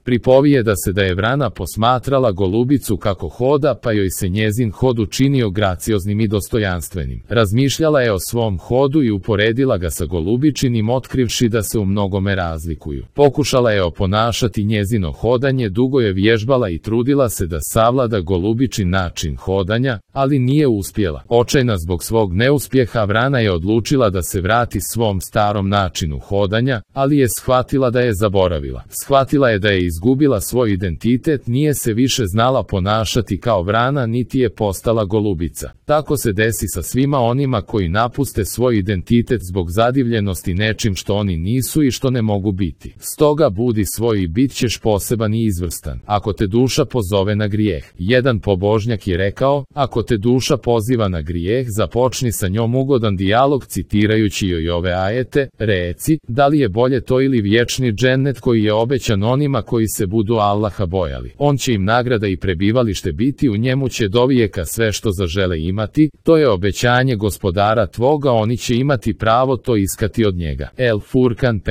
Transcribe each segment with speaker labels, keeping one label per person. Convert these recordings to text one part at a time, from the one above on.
Speaker 1: Pripovijeda se da je vrana posmatrala golubicu kako hoda, pa joj se njezin hod učinio gracioznim i dostojanstvenim. Razmišljala je o svom hodu i uporedila ga sa golubičinim, otkrivši da se u mnogome razlikuju. Pokušala je oponašati njezino hodanje, dugo je vježbala i trudila se da savlada golubičin način hodanja, ali nije uspjela. Očajna zbog svog neuspjeha, vrana je odlučila da se vrati svom starom načinu hodanja, ali je shvatila da je zaboravila. Shvatila je da je izgubila svoj identitet, nije se više znala ponašati kao vrana, niti je postala golubica. Tako se desi sa svima onima koji napuste svoj identitet zbog zadivljenosti nečim što oni nisu i što ne mogu biti. Stoga budi svoj i bit ćeš poseban i izvrstan. Ako te duša pozove na grijeh. Jedan pobožnjak je rekao, ako te duša poziva na grijeh, započni sa njom ugodan dijalog citirajući joj ove ajete, reci, da li je bolje to ili vječni džennet koji je obećan onima koji se budu Allaha bojali. On će im nagrada i prebivalište biti, u njemu će dovijeka sve što zažele imati, to je obećanje gospodara tvoga, oni će imati pravo to iskati od njega. El Furkan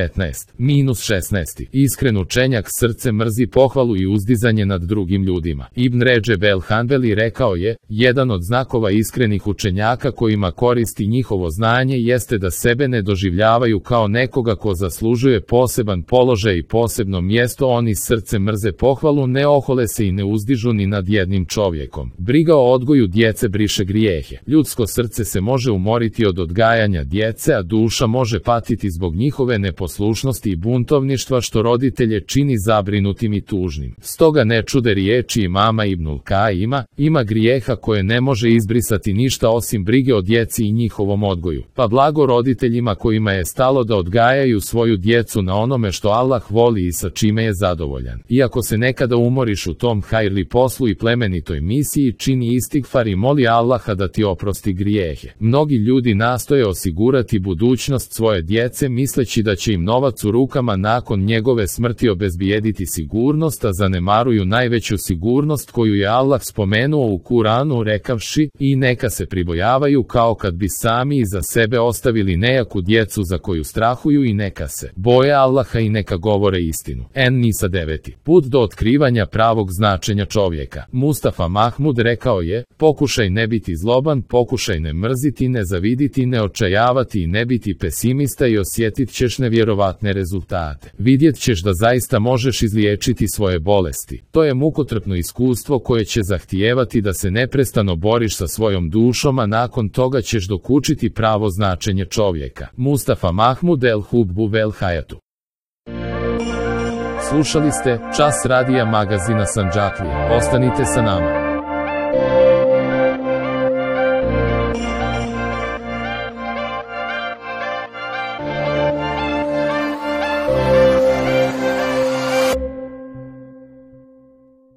Speaker 1: 15-16. Iskren učenjak srce mrzi pohvalu i uzdizanje nad drugim ljudima. Ibn Redžeb el Hanbeli rekao je, jedan od znakova iskrenih učenjaka kojima koristi njihovo znanje jeste da sebe ne doživljavaju kao nekoga ko zaslužuje poseban položaj i posebno mjesto, oni srce mrze pohvalu, ne ohole se i ne uzdižu ni nad jednim čovjekom. Briga o odgoju djece briše grijehe. Ljudsko srce se može umoriti od odgajanja djece, a duša može patiti zbog njihove neposlušnosti i buntovništva što roditelje čini zabrinutim i tužnim. Stoga ne čude riječi imama Ibnul Kaima, ima grijeha koje ne može izbrisati ništa osim brige o djeci i njihovom odgoju. Pa blago roditeljima kojima je stalo da odgajaju svoju djecu na onome što Allah voli i sa čime je zadovoljan. Iako se nekada umoriš u tom hajrli poslu i plemenitoj misiji, čini istigfar i moli Allaha da ti oprosti grijehe. Mnogi ljudi nastoje osigurati budućnost svoje djece misleći da će im novac u rukama nakon njegove smrti obezbijediti sigurnost, a zanemaruju najveću sigurnost koju je Allah spomenuo u Kuranu rekavši, i neka se pribojavaju kao kad bi sami iza sebe ostavili nejaku djecu za koju strahuju i neka se boje Allaha i neka govore istinu. En-Nisa 9. Put do otkrivanja pravog značenja čovjeka. Mustafa Mahmud rekao je, pokušaj ne biti zloban, pokušaj ne mrziti, ne zaviditi, ne očajavati i ne biti pesimista i osjetit ćeš nevjerovatne rezultate. Vidjet ćeš da zaista možeš izliječiti svoje bolesti. To je mukotrpno iskustvo koje će zahtijevati da se neprestano boriš sa svojom dušom, a nakon toga ćeš dokučiti pravo značenje čovjeka. Mustafa Mahmud el Hubbu vel Hayatu. Slušali ste Čas radija magazina Sandžaklija. Ostanite sa nama.